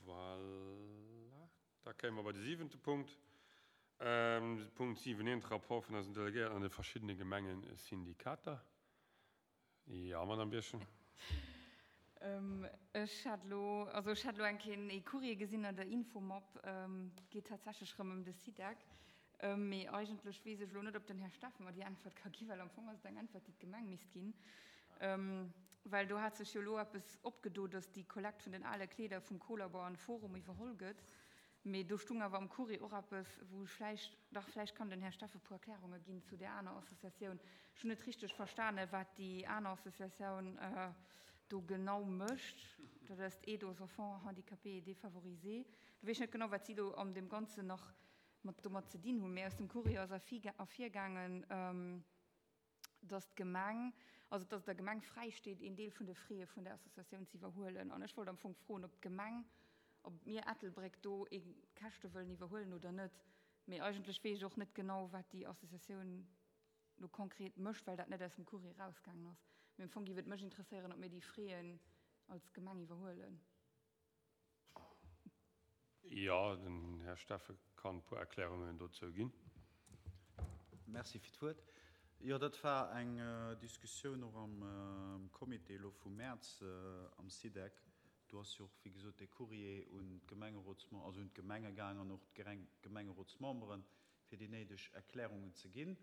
Voilà. Da kéime mer bei de siwente Punkt. Punkt 7, eent Rapport vun eisen Delegéierten an de verschiddene Gemengesyndikater. Jo, Madame Birchen. Ech hat elo, also ech hat elo eng Kéier ee Courrier gesinn an der Infomap, geet tatsächlech erëm ëm de SIDEC. Mee eigentlech weess ech elo net, ob den Här Steffen mer déi Äntwert ka ginn, well am Fong ass et eng Äntwert, déi d'Gemeng misst ginn. Well do hat sech jo elo eppes opgedo, datt déi Kollekt vun den ale Kleeder vum Co-Labor an Forum iwwerholl gëtt. Mee do stung awer am Courrier och eppes, wou ech vläicht, dach vläicht kann den Här Steffen e puer Erklärunge ginn zu där aner Associatioun. Ech hunn net richteg verstane wat déi aner Associatioun do genau mécht. Dat ass d'Aide aux enfants handicapés et défavorisés. Do weess ech net genau, wat si do an deem Ganzen nach mat domat ze dinn hunn. Mee aus dem Courrier ass ervirgaangen, dass d'Gemeng, also dass et der Gemeng fräi steet, een Deel vun de Frais vun der Associatioun ze iwwerhuelen. An ech wollt am Fong froen, ob d'Gemeng, ob mir Ettelbréck do ee Käschte wëllen iwwerhuelen oder net. Mee eigentlech weess ech och net genau, wat déi Associatioun lo konkret mécht, well dat net aus dem Courrier erausgaangen ass. Mee am Fong géif et mech interesséieren, ob mir déi Fraisen als Gemeng iwwerhuelen. Jo, den Här Steffen kann e puer Erklärungen dozou ginn. Merci fir d'Wuert. Jo, dat war eng Diskussioun och am Comité elo vum Mäerz am SIDEC. Do ass jo och, wéi gesot, dee Courrier un d'Gemengerotsmem-, also un d'Gemenge gaang an och d'Gemengerotsmemberen, fir déi néideg Erklärungen ze ginn.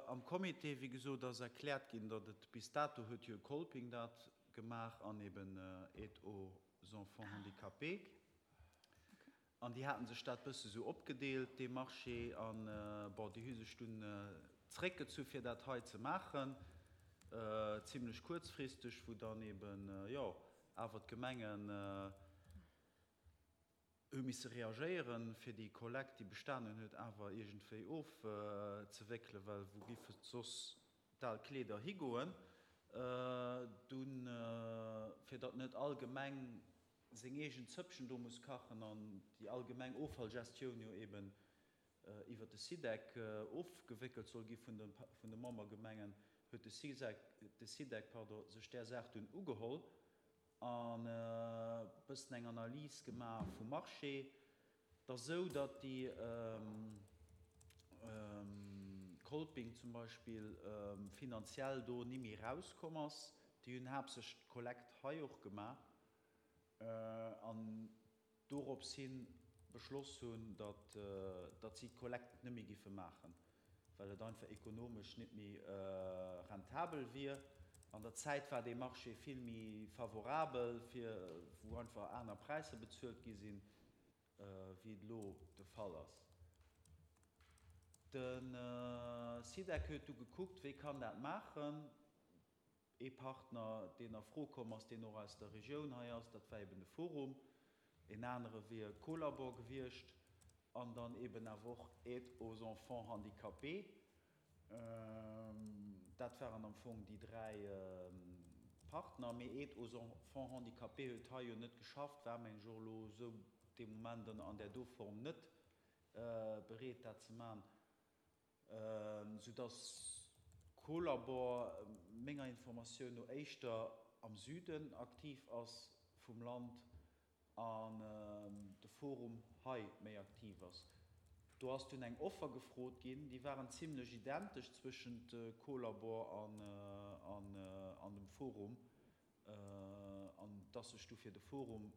Am Comité, wéi gesot, ass erkläert ginn, datt et bis dato huet jo Kolping dat gemaach an eben Aide aux enfants handicapés. An déi haten sech dat bësse sou opgedeelt, dee Marché. An, bon, déi hu sech dunn zréckgezu fir dat hei ze maachen, zimlech kuerzfristeg, wou dann eben, jo, awer d'Gemengen, hu misse reagéieren, fir déi Kollekt, déi bestanen huet, awer iergendwéi ofzewéckelen, well wou giffe soss d'al Kleeder higoen? Dunn, fir datt net all Gemeng seng eegen Zëppchen do muss kachen an déi allgemeng Offallgestioun jo eben iwwert de SIDEC ofgewéckelt soll gi vun de Membergemengen, huet de SIDEC, pardon, sech där Saach dunn ugeholl an e bëssen eng Analys gemaach vum Marché, et ass esou, datt déi Kolping zum Beispill finanziell do ni méi erauskomm ass. Déi hunn haaptsächlech d'Kollekt hei och gemaach an dorops hin beschloss hunn, datt datt si d'Kollekt net méi giffe maachen, well et einfach ekonomesch net méi rentabel wier. An der Zäit war dee Marché vill méi favorabel, fir wou einfach aner Präisser bezuelt gi sinn, wéi et elo de Fall ass. De SIDEC huet du gekuckt, wéi kann dat maachen. Ee Partner, deen a Fro komm ass, deen och aus der Regioun hei ass, dat war eben de Forum. Een anere wier Co-Labor gewiescht an dann eben awer och Aide aux enfants handicapés. Dat waren am Fong déi 3 Partner. Mee Aide aux enfants handicapés huet hei jo net geschafft, war meng ech och elo esou dee Moment an där do Form net bereet dat ze man. Soudass Co-Labor menger Informatioun no éischter am Süden aktiv ass vum Land an de Forum hei méi aktiv ass. Do ass dunn eng Offer gefrot ginn, déi waren zimlech identesch zwëschent Co-Labor an dem Forum, an et ass sech du fir de Forum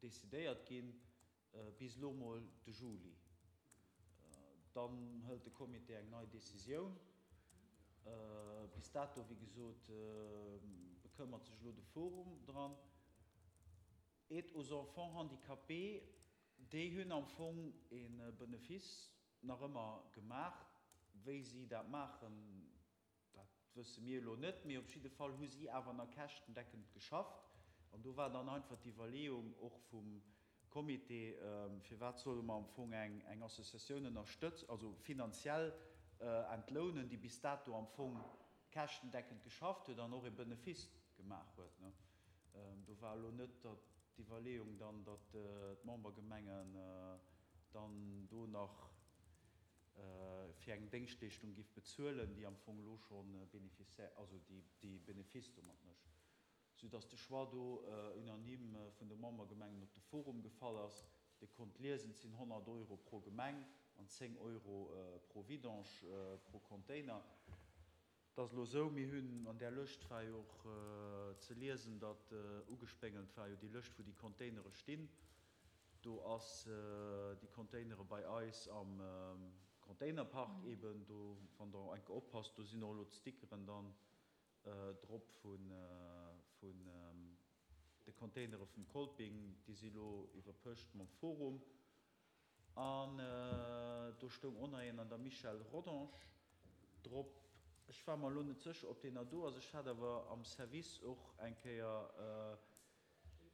decidéiert ginn. Bis elo mol de Juli. Dann hëlt de Comité eng nei Decisioun. Bis dato, wéi gesot, bekëmmert sech elo de Forum dran. Aide aux enfants handicapés, déi hunn am Fong e Benefice nach ëmmer gemaach. Wéi si dat maachen, Dat wësse mir elo net, mee op jidde Fall hu si awer nach käschtendeckend geschafft. An do war dann einfach d'Iwwerleeung och vum Comité, Firwat solle mer am Fong eng Associatioun ënnerstëtz-, also finanziell entlounen, déi bis dato am Fong käschtendeckend geschafft huet an och e Benefice gemaach huet. Do war elo net d'Iwwerleeung dann, datt d'Membergemengen dann do nach fir eng Déngschtleeschtung giff bezuelen, déi am Fong elo scho Bénéficiaire, also déi Bénéfice domat mécht, soudass de Choix do unanime vun de Membergemengen op de. Forum gefall ass. Dir konnt liesen, et sinn 100 Euro pro Gemeng an 10 Euro pro Vidange pro Container. Et ass elo esou, mir hunn, an där Lëscht war jo och ze liesen, datt ugespéngelt war jo déi Lëscht, wou déi Containere stinn. Do ass déi Containere bei eis am Containerpark eben do, wann Der eng Kéier oppasst, do sinn och elo d'Stickeren dann drop vun de Containere vum Kolping, déi si elo iwwerpëscht mam Forum. An do stoung och nach een an der Michèle Rodange drop. Ech war mer elo net sécher, ob deen nach do ass. Ech hat awer am Service och eng Kéier,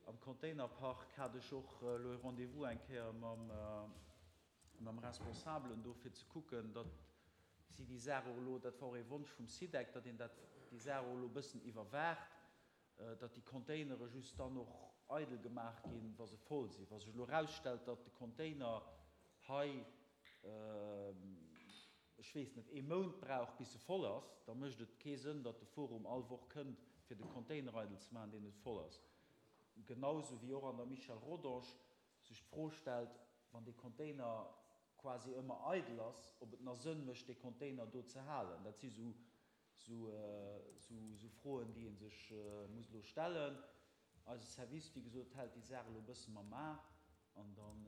am Containerpark hat ech och elo e Rendez-vous eng Kéier mam Responsabelen do, fir ze kucken, datt si déi Saach och elo, dat war och ee Wonsch vum SIDEC, datt een dat, déi Saach och elo e bëssen iwwerwaacht, datt déi Containere just dann och eidel gemaach ginn, wa se voll sinn. Wa sech elo erausstellt, datt de Container hei, ech weess net, ee Mount brauch, bis e voll ass, da mécht et kee Sënn, datt de Forum all Woch kënnt, fir de Container eidel ze maachen, deen net voll ass. Genausou wéi och an der Michel Rodange sech d'Fro stellt, wann dee Container quasi ëmmer eidel ass, ob et nach Sënn mécht, dee Container do ze halen. Dat si sou Sou Froen, déi ee sech muss elo stellen. Eise Service, wéi gesot, hält déi Saach elo e bësse mam A an dann,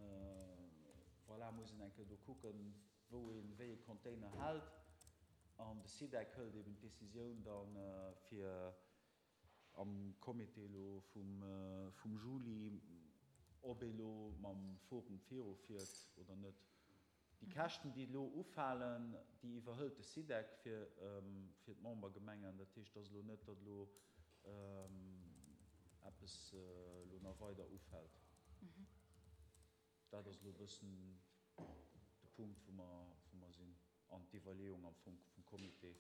voilà, muss een eng Kéier do kucken, wou ee wéi ee Container hält. An de SIDEC hëlt eben d'Decisioun dann, fir am Comité elo vum Juli, ob ee lo mam Forum virufiert oder net. Déi Käschten, déi elo ufalen, déi iwwerhëlt de SIDEC fir d'Membergemengen. Dat heescht, et ass elo net, datt elo eppes elo nach weider ufält. Dat ass elo e bëssen de Punkt, wou mer sinn an d'Iwwerleeung am Fong vum Comité,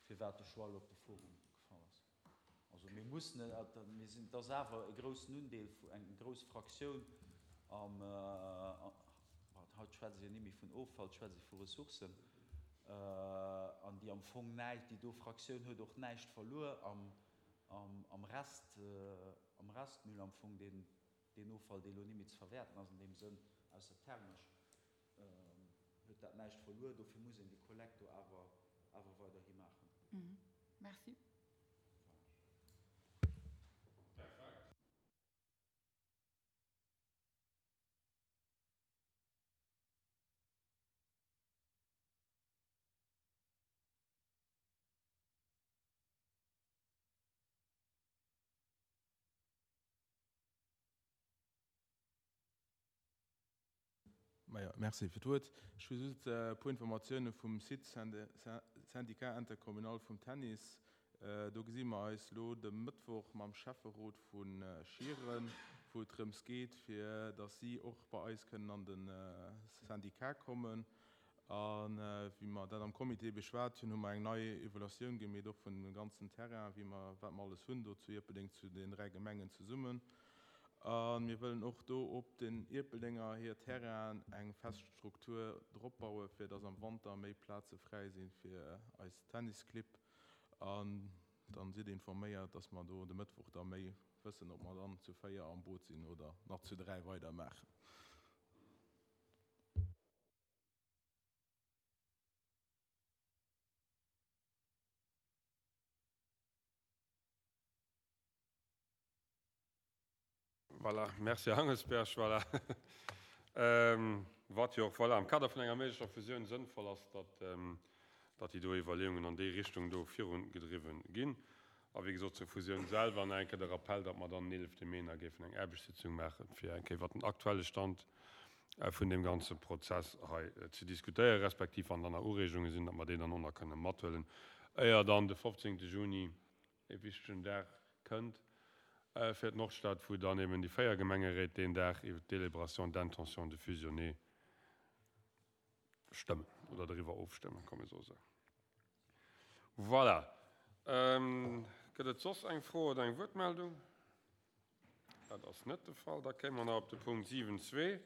firwat de Choix elo op de Forum gefall ass. Also mir mussen, mir sinn, et ass awer e groussen Undeel, eng grouss Fraktioun am, haut schwätze se jo ni méi vun Offall, schwätze se vu Ressourcen, an déi am Fong näischt, déi do Fraktioun huet och näischt verluer am Rest, am Restmüll am Fong, deen, deen Offall, dee elo ni méi ze verwäerten ass an deem Sënn, ausser thermesch, huet dat näischt verluer. Dofir muss een déi Kollekt do awer, awer weiderhi maachen. Merci. Perfekt. Majo, merci fir d'Wuert. Ech hu just e puer Informatioune vum Site Syndicat intercommunal vum Tennis. Do gesi mer eis elo de Mëttwoch mam Schäfferot vu Schieren, wou et drëms geet, fir datt si och bei eis kënnen an de Syndicat kommen. A wéi mer dat am Comité beschwat hunn, hu mer eng nei Evaluatioun gemeet, och vun dem ganzen Terrain, wéi mer, wat mer alles hunn do zu Ierpeldeng, zu den 3 Gemengen zesummen. A mir wëllen och do op den Ierpeldenger hir Terrainen eng fest Struktur drop bauen, fir dass am Wanter méi Plaze fräi si fir eis Tennisclibb. An dann sidd informéiert, dass mer do de Mëttwoch da méi wëssen, ob mer dann zu 4 am Boot sinn oder nach zu 3 weidermaachen. Voilà, merci Här Hangelsberg. Voilà. Wat jo och, voilà, am Kader vun enger méiglecher Fusioun sënnvoll ass, datt, datt déi do Iwwerleeungen an déi Richtung do virugedriwwen ginn. A wéi gesot, zur Fusioun selwer nach eng Kéier de Rappell, datt mer dann den 11 Mee nach géifen eng Aarbechtssitzung maachen, fir eng Kéier iwwert den aktuelle Stand vun deem ganze Prozess hei ze diskutéieren, respektiv wann dann nach Ureegunge sinn, datt mer déi dann och nach kënne mathuelen, éier dann de 15. Juni, e wichtegen Dag, kënnt fir d'Nordstad, wou dann eben déi 4 Gemengeréit deen Dag iwwert d'Délibération d'intention de fusionner stëmmen oder doriwwer ofstëmmen, komm mir soe sou. Voilà. Gëtt et soss eng Fro oder eng Wuertmeldung? Dat ass net de Fall. Da kéime mer nach op de Punkt 7.2.